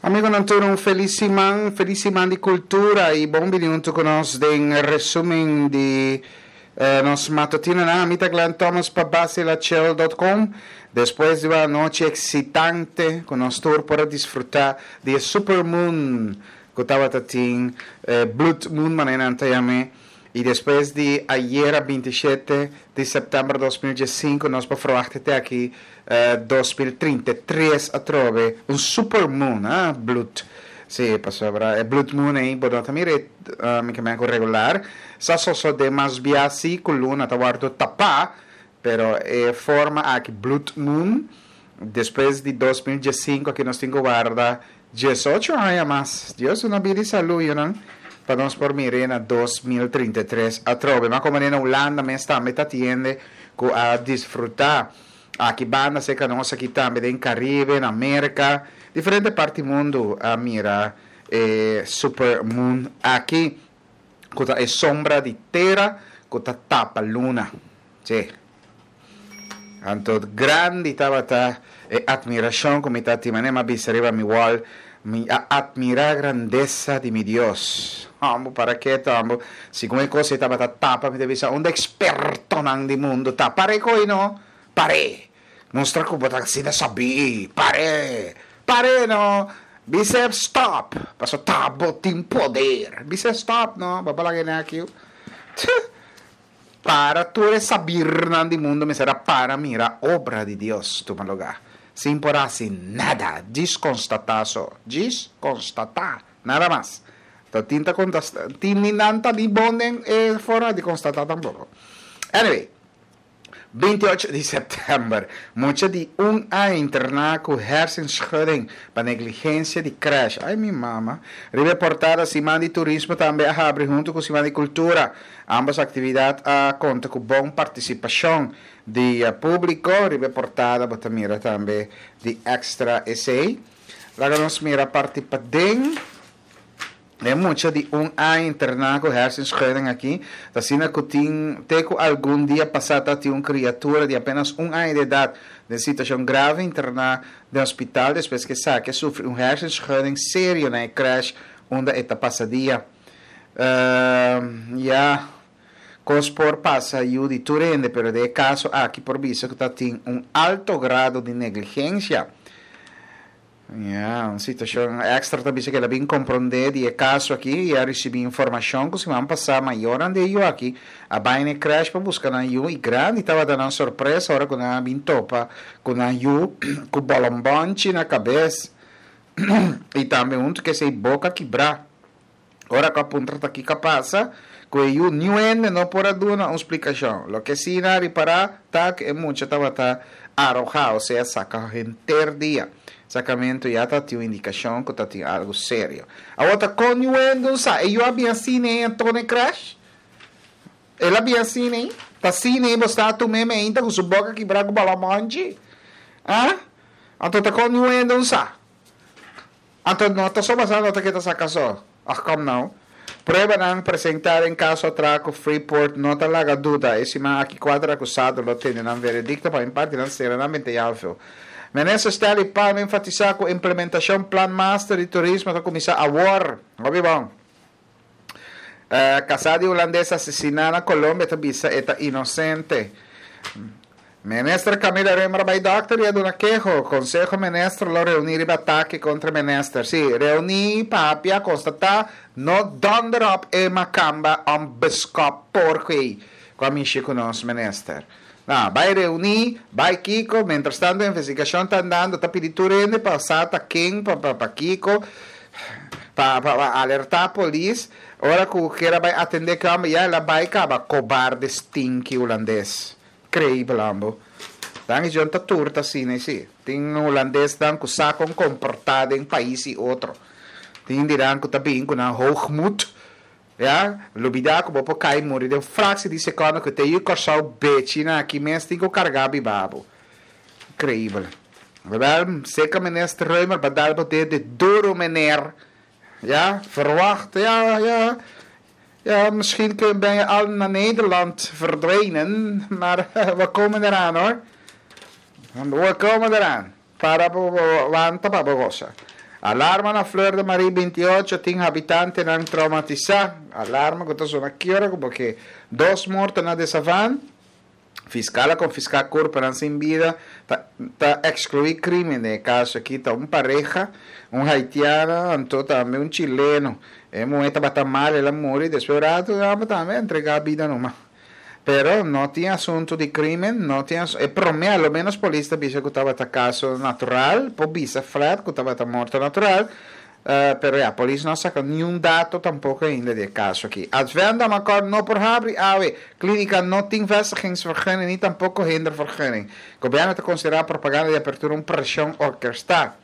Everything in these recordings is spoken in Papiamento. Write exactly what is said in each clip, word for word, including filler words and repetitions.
Amigonan tur, un felis siman, felis siman di kultura i bon bini huntu ku nos den resumen di eh, nos matutinonan. Ami ta Glenn Thomas pa basilachel punto com. Despues di un anochi eksitante ku nos tur por a disfrutá di e supermoon ku tabata tin, eh, blood moon manera nan ta yam'é. I despues di ayera binti shete di sèptèmber dos mil diesinku nos por ferwachta te aki eh, dos mil trinta i tres atrobe un supermoon, ah, bloed. Sí, pasobra e blood moon ei bo no ta mira e, eh, mi ke men ku regular. Sa sosodé mas bia si ku luna ta wòrdu tapá, pero e forma aki blood moon despues di dos mil diesinku aki nos tin ku warda diesocho aña mas. Dios duna bida i salú, yunan, pa nos por mir'é na dos mil trinta i tres atrobe. Ma komo na Hulanda mes tambe ta tiende ku a disfrutá. Aki banda serka nos aki tambe den Karibe, na Merka, diferente parti mundu a mira e super moon aki, ku ta e sombra di tera ku ta tapa luna. Sí. Anto grandi tabata e admirashon ku mi ta tin, manera mi a bisa riba mi wall, mi a admirá grandesa di mi Dios. Hombo, para keto, hombo. Segun e kos ei tabata tapa, mi ta bisa, unda ekspertonan di mundu ta? Par'é ko'i no? Par'é! Mustra ku bo ta asina sabí. Par'é! Par'é no! Bis'é stòp! Pasobra ta bo tin poder. Bis'é stòp no! Bo a laga e nèkiu. Para tur e sabirnan di mundu mester a para mira obra di Dios tuma lugá, sin por hasi nada, djis konstatá so, djis konstatá, nada mas. Ta tin ta kontastá, tin ni nan ta ni bon den e forma di konstatá tampoko. Anyway, binti ocho di sèptèmber, mucha di un aña interná ku hersenschudding pa negligensia di krèsh. Ay mi mama. Riba e portada, Siman di Turismo tambe a habri huntu ku Siman di Kultura. Ambos aktividat a konta ku bon partisipashon di públiko. Riba e portada bo ta mira tambe di Extra esei. Laga nos mira parti paden. E mucha di un aña interná ku hersenschudding aki ta asina ku tin te ku algun dia pasá ta tin un kriatura di apenas un aña di edat den situashon grave interná den hospital despues ku esaki a sufri un hersenschudding serio na e krèsh unda e ta pasa dia. Ya, kos por pasa yu di tur hende pero den e kaso aki por bisa ku ta tin un alto grado di negligensia. Ya, un situashon Extra ta bisa ku el a bin komprondé di e kaso aki i a risibí informashon ku siman pasá mayornan di e yu aki a bai na e krèsh pa buska nan yu i grandi tabata nan sorpresa ora ku nan a bin topa ku nan yu ku bòlòmbònchi na kabes i tambe huntu ku esei boka kibrá. Ora ku a puntra ta kiko a pasa ku e yu, niun hende no por a duna un splikashon. Loke sí nan a ripará ta ku e mucha tabata arojá, osea saka henter dia. Sakamentu ya ta tin un indikashon ku ta tin algu serio. Awor ta kon yu hende un sa? E yu a bin asina ei anto na e krèsh? El a bin asina ei? Ta asina ei bo sta tum'é meinta ku su boka kibrá ku balamonchi? Ah? Anto ta kon yu hende un sa? Anto no ta so basá no ta keda saka so. Ach kom nou. Pruebanan presentá den kaso atraco Freeport no ta laga duda. E siman aki kuater akusado lo tene nan veredikto pa imparti nan sera nan bente yalfeo. Minister Stanley Palm enfatisá ku implementashon Plan Master di Turismo ta kuminsá awor. Hopi bon. Kasá di hulandes asesiná na Colombia ta bisa e ta inosente. Minister Camila Römer a bai dòkter i a duna keho. Konseho Minister lo reuní riba atake kontra minister. Sí, reuní, papia, konstatá, no dònder òp e makamba ònbeskòp porko ei ku a mishi ku nos minister. No, bai reuní, bai kiko, mientrastanto investigashon ta andando ta pidi tur hende pa sa ta ken, pa pa pa kiko, pa pa pa alertá polis. Ora ku kier a bai atendé ku e hòmber ya el a bai kaba, kobarde stinki hulandes. Creibel ambo. Dan is John ta tur ta asina y si. Tin hulandesnan cu sa con comporta den pais y otro. Tin dinan cu ta bin cu nan hoogmoed, ya, lubida cu bo por cay muri den fractie di seconde cu te yu Corsou bechi na aki mes tin cu carga biba bo. Increibel. Wel, seca minister Römer ba dal bo dede duro meneer. Ja, verwacht, ja, ja. Ja, misschien ben je al naar Nederland verdwenen, maar we komen eraan hoor. We komen eraan. Para bo wanta pa bo gosa. Alarma na Fleur de Marie binti ocho, tin habitantenan traumatisa. Alarma cu ta zona ki ora, porque dos morto na De Savan. Fiscal a confisca curpa sin bida, ta, ta exclui crimen. Den caso aki ta un pareha, un haitiano, anto tambe un chileno. E muhe tabata mal, el a muri, despues rato, tambe entrega bida numa. Pero no tin asunto di crimen, no tin e prome, al menos polis ta bisa cu tabata caso natural, por bisa flat cu tabata morto natural, uh, pero ya, polis no a saca ningun dato tampoco ainda di e caso aki. Advent Damacor no por habri awe, clinica no tin vestigingsvergunning, ni tampoco hindervergunning. Gobierno ta considera propaganda di apertura un presion orkestal.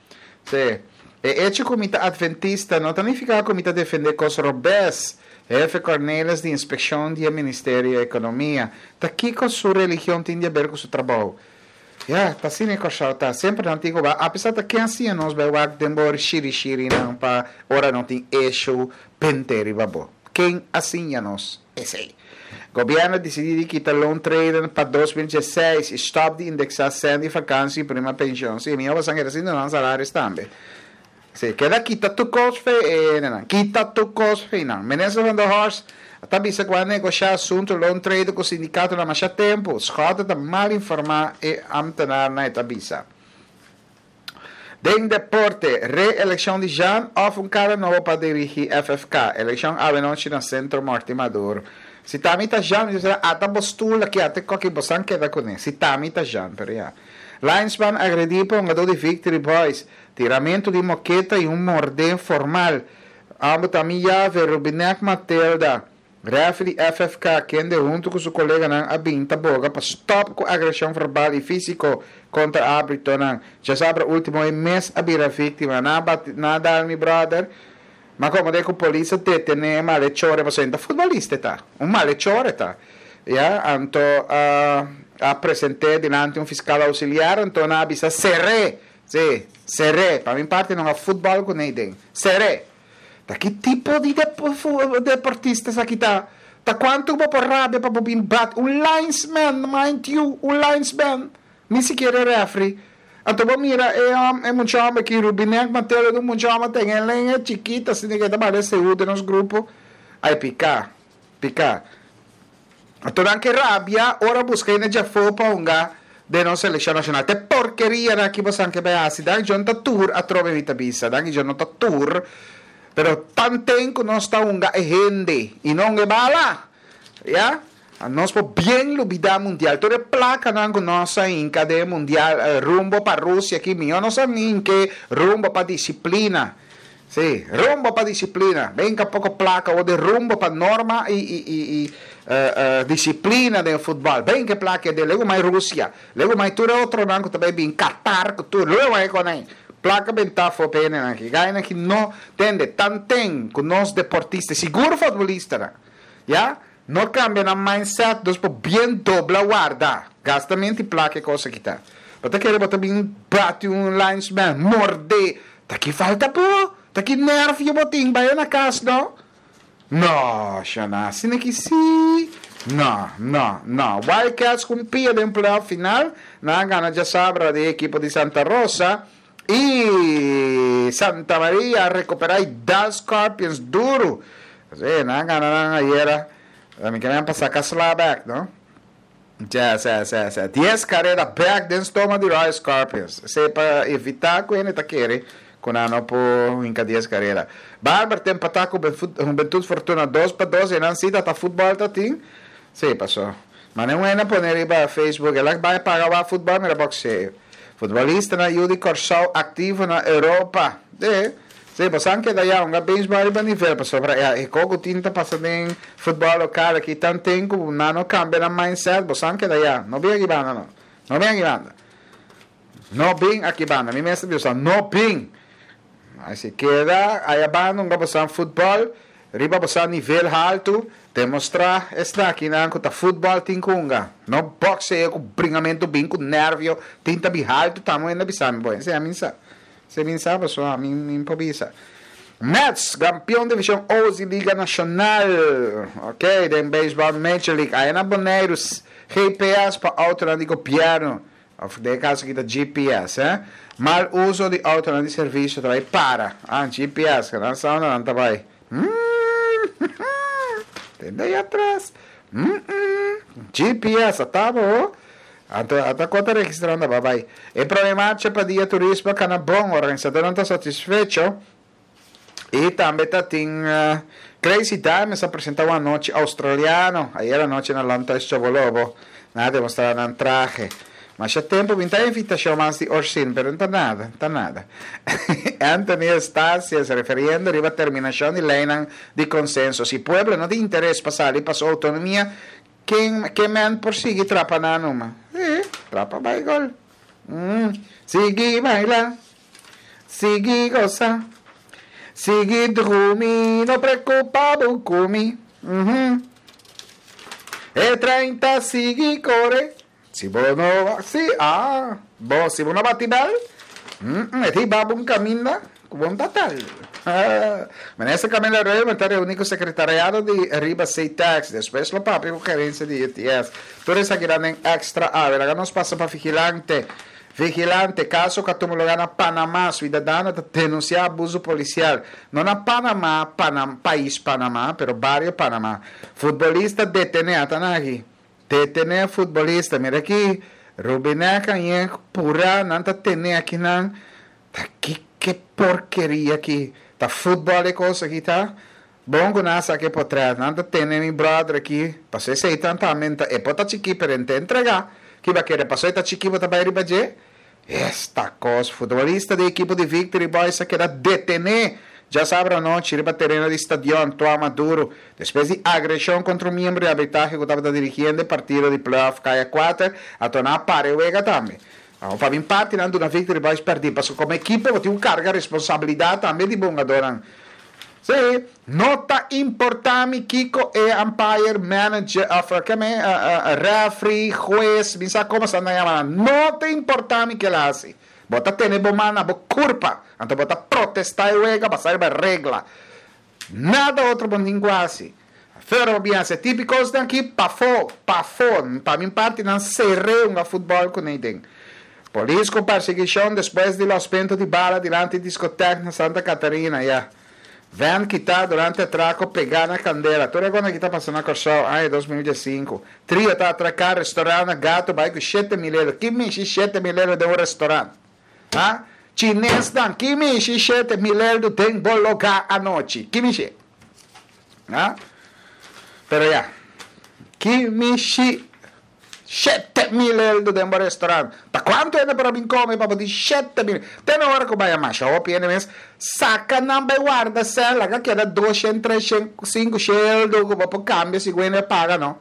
Si. E hecho cu mi ta adventista no significa cu mi ta defende cos robes. Hefe Cornelis di Inspeccion di Ministerio di Economia. Ta kico su religion tin di haber cu su trabou? Ja, ta asina e cos ta. Semper antigo ba. Apesar di cu asina nos bay wak den bor shiri shiri nan pa ora no tin issue penteri babo. Ken a siña nos esey? Gobierno a dicidi di kita loontreden pa dos mil diesseis y stop di indexa cen di vakantie y prima pensioen. Si, mi a sangue asina nan salario tambe. Si, keda kita tur cos fe, eh, nan. Kita tur cos fe, nan. Minister van der Horst ta bisa cu a negocia asunto loontreden cu sindicato na mas tempo. Schotte ta mal informa e ambtenaar na ta bisa. Den deporte, reeleccion di Jean of un cara nobo pa dirigi F F K. Eleccion anochi na Centro Morte Maduro. Si t'ami ta Jean, bisa ata bo stoel aki, ata coki bosan keda cune. Si t'ami ta Jean, pero ya. Linesman agredi pa un di Victory Boys. Tiramento di moketa y un morde formal. Abo tambe ya Rubinek Matilda. Referee F F K, kende hunto cu su coleganan a bin ta boga pa stop cu agresion verbal y fisico contra arbitro. Diasabra ultimo mes a bira victima. Na nada mi brother. Ma como de cu polis a detene malhechor, bo ta futbolista ta. Un malhechor ta. Ja, anto uh, a presenta dilanti un fiscal auxiliar, anto nan a bisa sere. Si, sere. Pa mi parti no ta futbol cu ne. Sere. Ta ki tipo di deportista aki ta? Ta cuanto bo por rabia pa bin bat un linesman, mind you, un linesman. Ni sikiera referee. Anto bo mira e um, e mucho homber aki Rubinek Mateo do mucho homber tin e lenga chikito asina cu ta bale seguro den nos grupo. Ai pica. Pica. Anto nan ke rabia, ora busca na jafo pa hunga den nos seleccion nacional. Te porkeria na aki bo ke bay hasi. Dan John ta tour atrobe vita bisa. Dan John no ta tour. Pero tanten cu nos ta hunga e hende y no e bala. Ya? Nos por bien lubida mundial. Tur e placa nan cu nos a hinca den mundial eh, rumbo pa Rusia aki, mi no sa cu rumbo pa disciplina. Si, rumbo pa disciplina. Venga poco placa o de rumbo pa norma y, y, y, y uh, uh, disciplina di futbol. Ben cu placa de luego mas Rusia, luego mas tur otro nan tambe bin Qatar, tur luego ey con ey. Placa bentafo pene aki. Gana cu no tende tanten cu nos deportista, sigur futbolista, ya? No cambia na mindset, dus por bien dobla warda. Gastamento placa cos aki ta. Bo ta kere bo ta bin bati un linesman, morde. Ta ki falta po. Ta ki nervio bo tin, bay na cas, no? No, Shana, asina cu si. No, no, no. Wildcats cu pia den playoff final. Nan a gana diasabra di ekipo di Santa Rosa. Y Santa Maria a recupera y dal Scorpions duro. Si, nan a gana nan ayera. Mi kier pasa casla back, no? Ja, si, si, si. Dies careda back den stoma di Royal Scorpions. Si pa evita cu e ta kere cu no por hinca dies careda. Barber ta empata cu Juventud Fortuna dos pa dos y nan si ta futbol ta tin. Si, paso. Mas no e pone riba Facebook, el a bay paga e futbol, mira boxeo. Futbolista na Yu di Corsou activo na Europa. E, si, bo keda ya un baseball riba nivel, pasobra e coco tin ta pasa den futbol local aki tanten cu nan no cambia na mindset, bo keda ya, no bin aki banda no. No bin aki banda. No bin aki banda. Mi mes bisa no bin. Asina keda, ey banda un pasa futbol, riba pasa nivel halto, demostra esta aki na cu ta futbol tin cu hunga. No boxeo cu bringamento bin cu nervio, tin ta bi halto, tamo ainda bisa mi boy. Si ami sa. Si mi sa, so ami mi bisa. Mets, campeon division Ozi Liga Nacional. Ok, den baseball Major League. Ey na Bonaire, G P S pa auto di gobierno. Òf den kaso aki ta G P S, eh? Mal uso di outo di servisio ta bai para. Ah, G P S, ku nan sa nan ta bai. Mm. Tende ei atras. Mm -mm. G P S, ta bon. Anto, ata kon ta registrando, bye bye. E promé marcha pa Dia Turismo kana bon, organisadónan ta satisfecho. I tambe ta tin uh, Crazy Diamonds a presentá un anochi australiano. Ayera nochi na Lantais Chobolobo. Nan a demostrá nan trahe. Mas ya tempu, mi ta invitashon mas di Orsin, pero no ta nada, no ta nada. Anthony Estacias, refiriendo riba terminashon di lei di konsenso. Si pueblo no tin interes pa sali pa su outonomia, ken, ken men por sigui trapa nan numa? Eh, trapa bai gol. Mm. Sigui baila, sigui gosa, sigui drumi, no preokupá ku mi. Mm -hmm. E trein ta sigui kore. Si bo no, si, ah, bo, si bo no bati bèl, mm, mm, e babo un kaminda, bon total. Minister Camila Reyman ta reuní ku sekretariado di Riba C-Tax, despues lo papia ku gerensia di U T S. Tur esaki den Extra. Awor nos pasa pa Vigilante. Vigilante, kaso ku a tuma lugá na Panamá, siudadano ta denunsiá abuso polisial. No na Panamá, Panam, pais Panamá, pero bario Panamá. Futbolista detené, ata aki. Detené futbolista, mira aki, Rubinek i pura, nan ta tene aki nan. Ta ki ki porkeria aki. Ta futbòl e kos aki ta. Bon ku nan saka portrèt, nan ta tene mi brother aki. Pasó esei tambe ta, e por ta chikí, pero e entregá. Ki bai kere, pasó ta chikí, ta bai riba dje. Esta kos, futbolista di ekipo di Victory Boys a keda detené djasabra anochi riba tereno di stadion Toa Maduro, despues di agreshon kontra un miembro di arbitrahe ku tabata dirigiendo e partido di playoff Kaya kuater, a torna para e wega tambe. Pa mi parti nan duna Victory Boys pèrdè, pasobra komo ekipo bo tin karga responsabilidat tambe di hungadónan. Sí, no ta importá mi kiko e umpire, manager, of ku mi, uh, uh, referee, hues, mi sa kon nan yama. No ta importá mi kiko el a hasi. Bo ta tene bo man na bo kurpa. Anto bo ta protestá e wega, basá riba regla. Nada otro bo tin ku hasi. Pero bien, se típiko aki pafó, pafó, pa mi parti nan sera un futbòl ku ningun. Polis ku persiguishon despues di losmentu di bala dilanti diskoteka na Santa Catarina, ya. Van kitá durante atrako pegá na kandela. Tur esaki ku ta pasando na Kòrsou, aña dos mil sinku. Trio ta atraká restorant na Gato, bai ku shete mil euro. Ki mishi shete mil euro den un restorant? Ha? Chines dan, ki mishi shete mil euro den bo lugá anochi? Ki mishi? Ha? Pero ya. Ki mishi shete mil euro den un restorant? Ta kuantu e pa bin kome pa di shete mil? Te na ora ku bai mas, hopi mes saka nan bai warda sèn, ku keda dos, tres, sinku euro ku pa kambia si e paga no.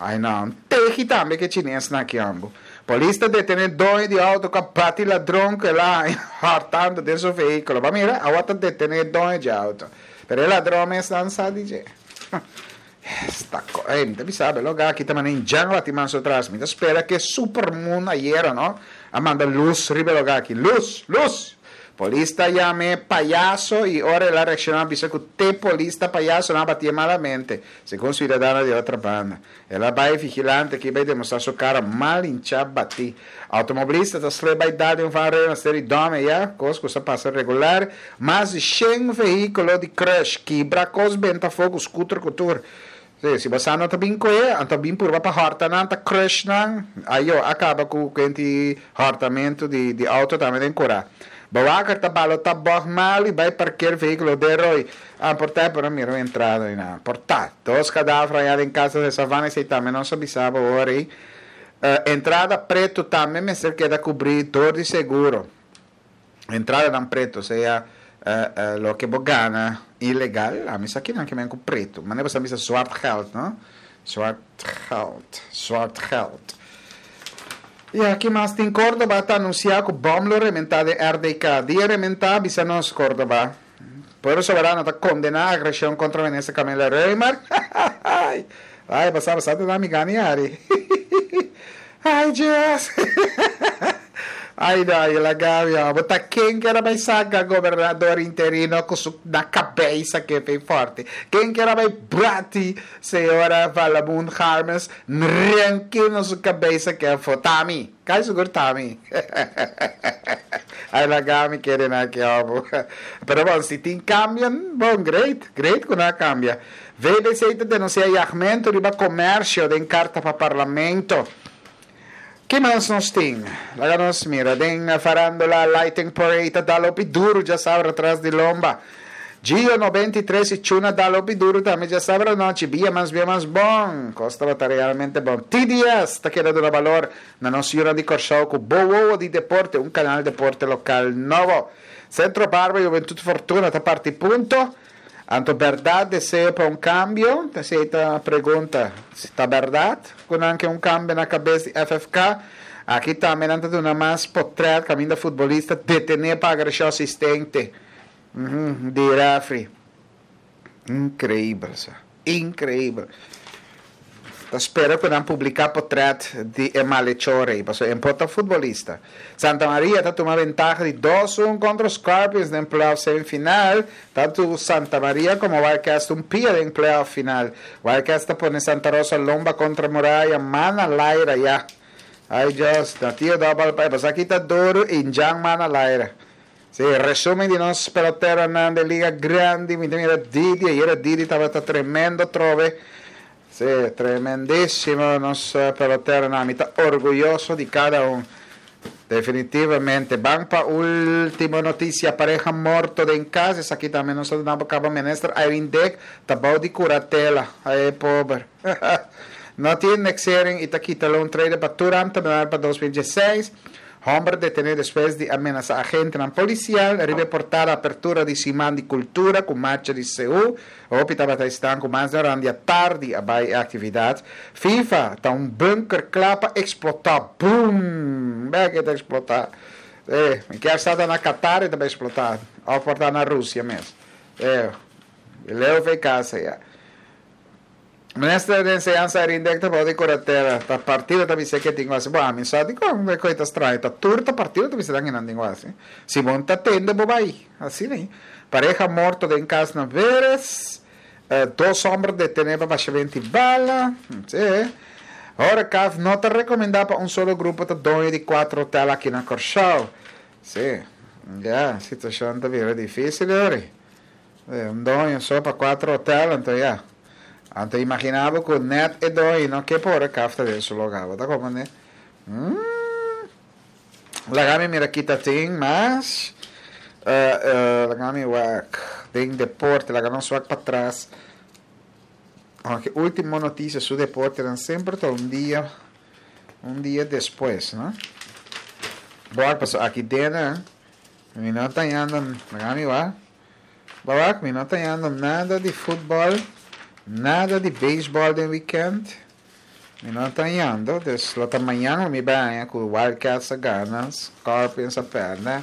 Ai no, tehi tambe ku chines na aki ambo. Polis ta detené doño di outo ku a bati ladron ku el a hòrtando den su vehíkulo. Ma mira, awor ta detené doño di outo. Pero e ladron mes no sa di Esta ko, eh, mi sabe, logo aki tambe jungle ti mas atras. Mi spera ku supermoon ayera, no? A manda lus riba lugá aki. Lus, lus. Polis ta yam'é payaso i ora el a reakshoná bisa ku te polis ta payaso nan a batié malamente, segun siudadano di otro banda. El a bai Vigilante ku bai demostrá su kara mal hinchá batí. Outomobilista ta slep bai dal den vangrail na Seri Dome ya, kos ku sa pasa regular. Mas di shen vehíkulo di crush, kibra kos, benta fogo, scooter ku tur. Si, si bo no ta bin koe, anto bin purba pa hòrta nan, ta crush nan, ayo, a kaba ku kenti hòrtamentu di, di outo tambe den kura. Bewaker ta balotá Bob Marley bai parker vehíkulo den roi. Ah, porta pero mira un entrada na. Porta. Dos kadaver ei den kas di Savana esei tambe nos a bisa bo awor. Uh, entrada pretu tambe mester keda kubrí dor di seguro. Entradanan pretu, sea uh, uh, loke bo gana ilegal, ami sa ku nan ke men ku pretu. Ma bo sa zwart geld, no? Zwart geld, zwart geld. I aki mas tin Córdoba ta anunsiá ku bòm lo rementá den R D K. Dia rementá, bisa nos Córdoba. Pueblo Soberano ta kondená agreshon kontra minister Camila Römer. Ai, pasa, pasa, ta mi gani ari. Ai, Dios. Ai, dai, laga mi, bo ta ken kier a bai saka gobernador interino ku su na kabes ku ta forte? Ken kier a bai bati señora Valamun Harmes ranka na su kabes ku ta forte? T'ami, kai sigur t'ami. Ai, laga mi kere na aki, oh. Pero bon, si tin kambio, bon, great, great ku nan kambia. V B C ta denunsiá yagmentu riba komersio den karta pa parlamento. Ke mas nos tin? Laga nos mira. Den farándula, Lighting Parade dal hopi duru djasabra tras di lomba. Gio nobenta i tres i Chuna dal hopi duru tambe djasabra anochi. Bia mas bia mas bon. Kos ta realmente bon. T D S ta keda duna balor na nos yunan di Kòrsou ku Bowo di Deporte, un kanal di deporte lokal nobo. Centro Barber, Juventud Fortuna ta parti punto. Anto berdat deseo pa un kambio? Esei ta pregunta. Si ta berdat ku nan ke un kambio na kabes di F F K? Aki tambe nan ta duna mas potrèt kaminda futbolista detené pa agreshon asistente Uhum, di referee. Inkreibel, sa. Inkreibel. Ta spera ku nan publiká potrèt di e malhechor, paso e por ta futbolista. Santa Maria ta tuma ventaha di dos un kontra Scorpions den playoff semifinal. Tantu Santa Maria komo Wildcats un pia den playoff final. Wildcats ta pone Santa Rosa lomba kontra muraya, man na laira ya. Ai Dios, na tio double pa, pas aki ta duru i Jan man na laira. Si, resumen di nos peloteronan di Liga Grandi, mi mira Didi, ayera Didi tabata tremendo trobe. Si, tremendísimo nos peloteronan, mi ta orguyoso di kada un. Definitivamente. Ban pa último notisia. Pareha morto den kas. Aki tambe nos ta kaba minister Irene Dick. Ta bou di kuratela. Ai, pober. No tin indexering i ta kita loontreden pa tur ambtenaar pa dos mil diesseis. Hòmber detené despues di menasá agentenan polisial. Riba portada, apertura di Siman di Kultura ku marcha di Seú. Hopi tabata staan ku mas durante tardi a bai aktividat. FIFA ta un bunker kla pa eksplotá. Boom! Bek ta eksplotá. Eh, ke sta na Qatar i tambe eksplotá. Òf por ta na Rusia mes. Eh, leu fe kas ya. Minister di Enseñansa Irene Dick ta bou di kuratela. Ta partido ta bisa ku tin asina. Bon, mi sabi kon e kos ta straño. Ta tur ta partido ta bisa ku nan tin asina. Si bo ta tende bo bai. Asina, ne? Pareha morto den kas na Veres. Uh, dos hòmber detené pa bashamentu di bala. Si. Horecaf no ta rekomendá pa un solo grupo ta doño di kuater hotel aki na Kòrsou. Si. Ya, situashon ta bira difísil, ori. Un doño so pa kuater hotel, anto ya. Anto imaginá bo ku net e doño no ke por horecaf ta den su lugá. Ta komo, ne? Hum. Laga mi mira aki ta tin mas. Uh, uh, laga mi wak den deporte, laga nos wak patras. Aunke último notisia su deporte dan semper ta un dia un dia despues, no? Bon, paso aki den, mi no ta hayando, laga mi wak. Wak, mi no ta hayando nada di futbòl, nada di beisbòl den weekend. Mi no ta hayando, dus lo ta mañan mi bai ku Wildcats a gana, Scorpions a pèrdè,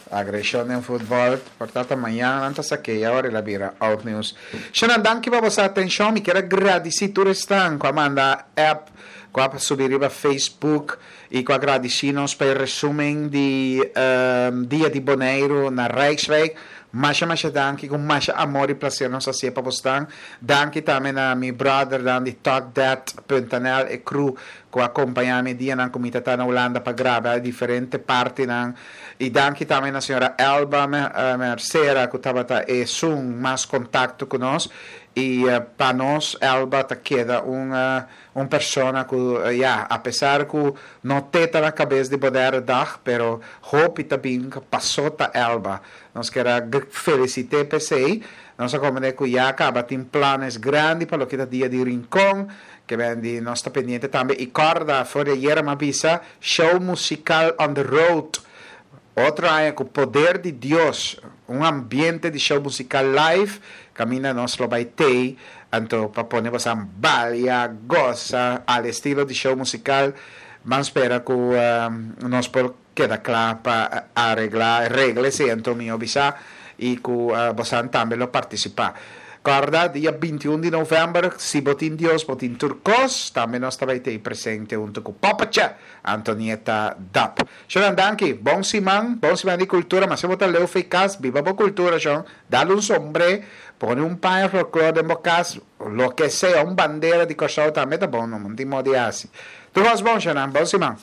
agreshon den futbòl, por tantu mañan nan ta sak'é, awor el a bira old news. Shana, danki pa boso atenshon, mi ke gradisí tur esnan ku a manda app, ku a subi riba Facebook i ku a gradisí nos pa e resumen di um, Dia di Boneiru na Rijkswijk. Masha masha danki, ku masha amor i plaser nos a hasié pa boso. Danki tambe na mi brother dan di talkthat punt N L e crew ku a kompañá mi dianan ku mi ta na Hulanda pa graba diferente partinan. I danki tambe na señora Elba Mercera ku tabata esun mas kontakto ku nos. I uh, pa nos Elba ta keda un uh, un persona ku uh, ja, apesar ku no ta na kabes di Bonaire Dag, pero hopi tambe pasó ta Elba. Nos ke felisit'é p'esei. Nos a komprondé ku ya kaba tin plannan grandi pa loke ta Dia di Rincon, ke bin di nos ta pendiente tambe i kòrda for di ayera m'a bisa show musical on the road. Otro aña ku poder di Dios, un ambiente di show musical live, kaminda nos lo bai tei, anto pa pone boso balia, gosa, al estilo di show musical, ban spera ku um, nos por keda kla pa areglá, regla esei, anto mi bisa i ku uh, boso tambe lo partisipá. Korda, dia binti un di november, Si Bo Tin Dios, Bo Tin Tur Kos, tambe nos ta bai ta presente huntu ku Papacha, Antonieta Dap. Shonan, danki, bon siman, bon siman di kultura, mas si bo ta leu fo'i kas, biba bo kultura, shon, dal un sombré, pone un paña folklore den bo kas, loke sea, un bandera di Kòrsou tambe ta bon, no tin modi hasi. Tur kos bon, shonan, bon siman.